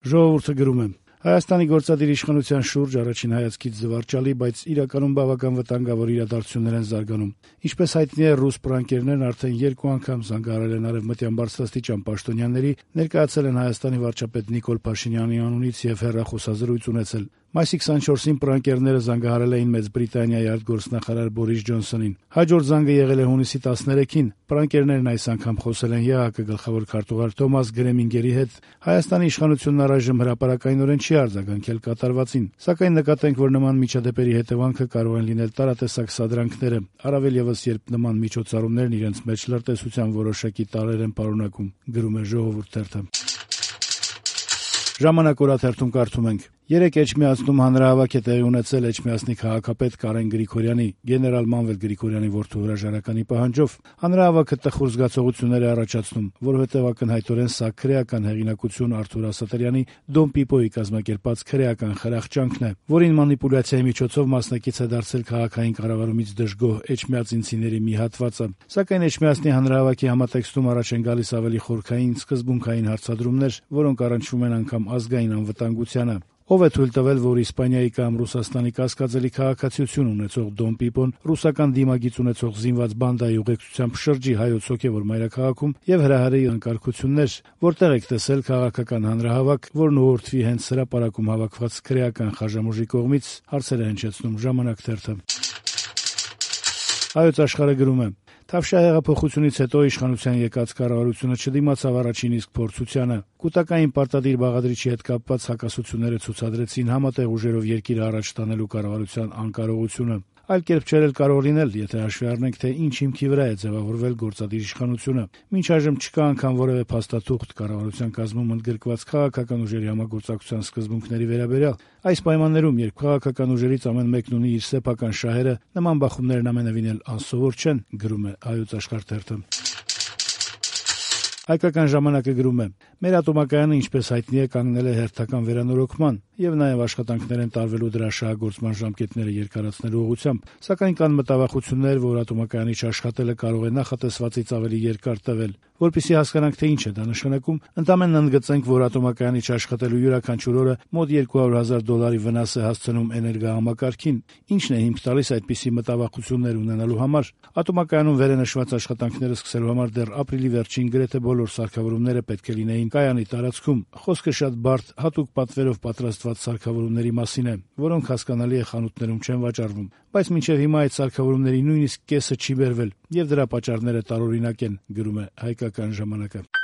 Ժողովուրդը գրում է. Հայաստանի գործադիր իշխանության շուրջ առաջին հայացքից զվարճալի, բայց իրականում բավական վտանգավոր իրադարձություններ են զարգանում։ Ինչպես հայտնի է, ռուս պրանկերներն արդեն 2 անգամ զանգահարել են արևմտյան բարձրաստիճան պաշտոնյաների, ներկայացել են Հայաստանի վարչապետ Նիկոլ Փաշինյանի անունից եւ հեռախոսազրույց ունեցել։ Մայիսի 24-ին պրանկերները զանգահարել էին Մեծ Բրիտանիայի արտգործնախարար Բորիս Ջոնսոնին։ Հաջորդ զանգը եղել է հունիսի 13-ին։ Պրանկերներն այս անգամ խոսել են ԵԱՀԿ գլխավոր քարտուղար Թոմաս Գրեմինգերի հետ։ Հայաստանի իշխանությունն առայժմ հրապարակայնորեն չի արձագանքել կատարվածին, սակայն նկատենք, որ նման միջադեպերի հետևանքը կարող են լինել տարատեսակ սադրանքները, առավել ևս երբ նման միջոցառումներն իրենց մեջ լրտեսության որոշակի տարրեր են պարունակում, գրում է Ժողովուրդ թերթը։ Ժամանակ օրաթերթում կարդում ենք. Երեկ Էջմիածնում հանրահավաք է տեղի ունեցել Էջմիածնի քաղաքապետ Կարեն Գրիգորյանի, գեներալ Մանվել Գրիգորյանի որդու հրաժարականի պահանջով։ Հանրահավաքը տխուր զգացողություններ է առաջացնում, որովհետև ակնհայտորեն սա քրեական հեղինակություն Արթուր Ասատրյանի Դոն Պիպոյի կազմակերպած քրեական խրախճանքն է, որին մանիպուլյացիայի միջոցով մասնակից է դարձել քաղաքային կառավարումից դժգոհ էջմիածինցիների մի հատվածը։ Սակայն Էջմիածնի հանրահավաքի համատեքստում առաջ են գալիս ավելի խորքային, սկզբունքային հարցադրումներ, որոնք առնչվում են անգամ ազգային անվտանգությանը։ Ով է թույլ տվել, որ Իսպանիայի կամ Ռուսաստանի կասկածելի քաղաքացիություն ունեցող Դոն Պիպոն ռուսական դիմագիծ ունեցող զինված բանդայի ուղեկցությամբ շրջի հայոց հոգևոր մայրաքաղաքում եւ հրահրի անկարգություններ, որտեղ եք տեսել քաղաքական հանրահավաք, որն ուղղորդվի հենց հրապարակում հավաքված քրեական խաժամուժի կողմից, հարցեր է հնչեցնում Ժամանակ թերթը։ Հայոց աշխարհը գրում է. Թավշյա հեղափոխությունից հետո իշխանության եկած կառավարությունը չդիմացավ առաջին իսկ փորձությանը։ Կուտակային պարտադիր բաղադրիչի հետ կապված հակասությունները ցուցադրեցին համատեղ ուժերով երկիրը առաջ տանելու կառավարության անկարողությունը։ Այլ կերպ չէր էլ կարող լինել, եթե հաշվի առնենք, թե ինչ հիմքի վրա է ձևավորվել գործադիր իշխանությունը։ Մինչ այժմ չկա անգամ որևէ փաստաթուղթ կառավարության կազմում ընդգրկված քաղաքական ուժերի համագործակցության սկզբունքների վերաբերյալ։ Այս պայմաններում, երբ քաղաքական ուժերից ամեն մեկն ունի իր սեփական շահերը, նման բախումներն ամենևին էլ անսովոր չեն, գրում է Հայոց աշխարհ թերթը։ Հայկական ժամանակը գրում է. Մեր ատոմակայանը, ինչպես հայտնի է, կանգնել է հերթական վերանորոգման եւ նաեւ աշխատանքներ են տարվելու դրա շահագործման ժամկետները երկարացնելու ուղղությամբ, սակայն կան մտավախություններ, որ ատոմակայանի չաշխատելը կարող է նախատեսվածից ավելի երկար տևել։ Որպեսզի հասկանանք, թե ինչ է դա նշանակում, ընդամենն ընդգծենք, որ ատոմակայանի չաշխատելու յուրաքանչյուր օրը մոտ $200,000 վնաս է հասցնում էներգահամակարգին։ Ինչն է հիմք տալիս այդպիսի մտավախություններ ունենալու համար։ Ատոմակայանում վերենշված աշխատանքները սկսելու համար դեռ ապրիլի վերջին գրեթե բոլոր սարքավորումները պետք է լինեին կայանի տարածքում։ Խոսքը շատ բարդ, հատուկ պատվերով պատրաստված սարքավորումների մասին է, որոնք հասկանալի է խանութներում չեն վաճառվում, բայց մինչև հիմա այդ սարքավորումների նույնիսկ կեսը չի բերվել, եւ դրա պատճառները տարօրինակ են, գրում է Հայկական ժամանակը։